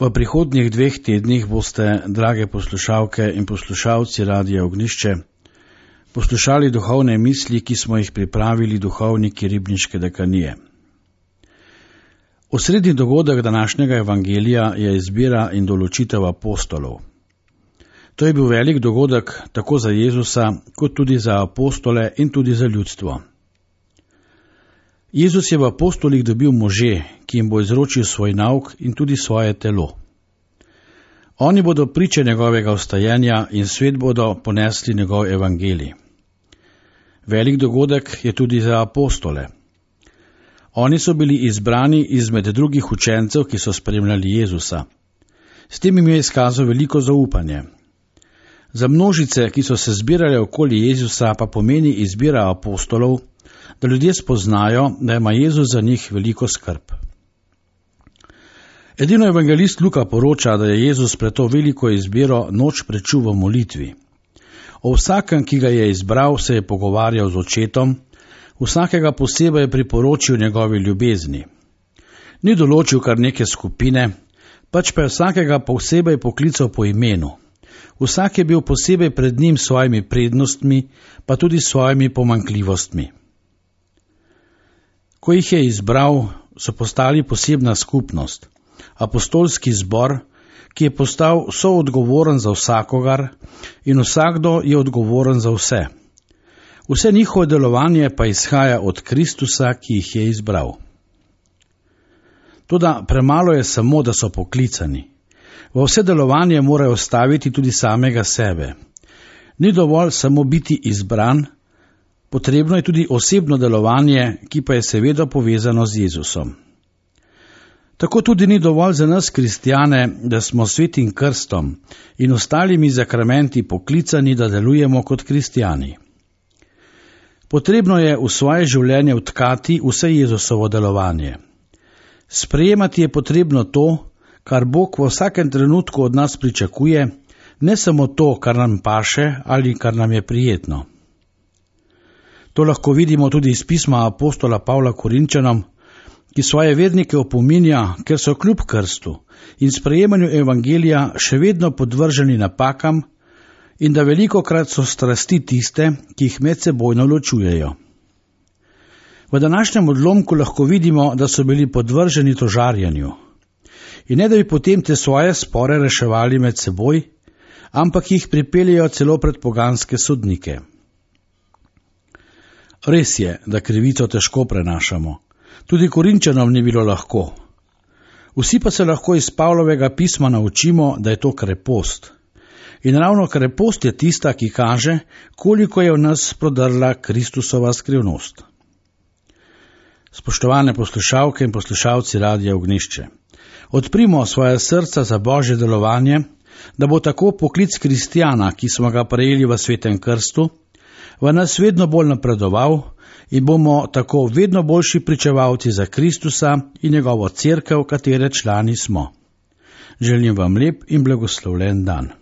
V prihodnjih 2 tednih boste, drage poslušalke in poslušalci Radia Ognjišče, poslušali duhovne misli, ki smo jih pripravili duhovniki Ribniške dekanije. Osrednji dogodek današnjega evangelija je izbira in določitev apostolov. To je bil velik dogodek tako za Jezusa, kot tudi za apostole in tudi za ljudstvo. Jezus je v apostolih dobil može, ki jim bo izročil svoj nauk in tudi svoje telo. Oni bodo priče njegovega vstajenja in svet bodo ponesli njegov evangelij. Velik dogodek je tudi za apostole. Oni so bili izbrani izmed drugih učencev, ki so spremljali Jezusa. S tem jim je izkazal veliko zaupanje. Za množice, ki so se zbirale okoli Jezusa, pa pomeni izbira apostolov, da ljudje spoznajo, da ima Jezus za njih veliko skrb. Edino evangelist Luka poroča, da je Jezus pred to veliko izbiro noč prečul v molitvi. O vsakem, ki ga je izbral, se je pogovarjal z očetom, vsakega posebej je priporočil njegovi ljubezni. Ni določil kar neke skupine, pač pa je vsakega posebej poklical po imenu. Vsak je bil posebej pred njim s svojimi prednostmi, pa tudi s svojimi pomanjkljivostmi. Ko jih je izbral, so postali posebna skupnost, apostolski zbor, ki je postal soodgovoren za vsakogar in vsakdo je odgovoren za vse. Vse njihovo delovanje pa izhaja od Kristusa, ki jih je izbral. Toda premalo je samo, da so poklicani. V vse delovanje morajo staviti tudi samega sebe. Ni dovolj samo biti izbran, potrebno je tudi osebno delovanje, ki pa je seveda povezano z Jezusom. Tako tudi ni dovolj za nas kristjane, da smo svetim krstom in ostalimi zakramenti poklicani, da delujemo kot kristjani. Potrebno je v svoje življenje vtkati vse Jezusovo delovanje. Sprejemati je potrebno to, kar Bog v vsakem trenutku od nas pričakuje, ne samo to, kar nam paše ali kar nam je prijetno. To lahko vidimo tudi iz pisma apostola Pavla Korinčanom, ki svoje vernike opominja, ker so kljub krstu in sprejemanju evangelija še vedno podvrženi napakam in da velikokrat so strasti tiste, ki jih medsebojno ločujejo. V današnjem odlomku lahko vidimo, da so bili podvrženi tožarjenju. In ne da bi potem te svoje spore reševali med seboj, ampak jih pripeljejo celo pred poganske sodnike. Res je, da krivico težko prenašamo. Tudi Korinčanom ni bilo lahko. Vsi pa se lahko iz Pavlovega pisma naučimo, da je to krepost. In ravno krepost je tista, ki kaže, koliko je v nas prodrla Kristusova skrivnost. Spoštovane poslušalke in poslušalci Radia Ognjišče, odprimo svoje srca za Božje delovanje, da bo tako poklic kristjana, ki smo ga prejeli v svetem krstu, v nas vedno bolj napredoval in bomo tako vedno boljši pričevalci za Kristusa in njegovo cerkev, katere člani smo. Želim vam lep in blagoslovljen dan.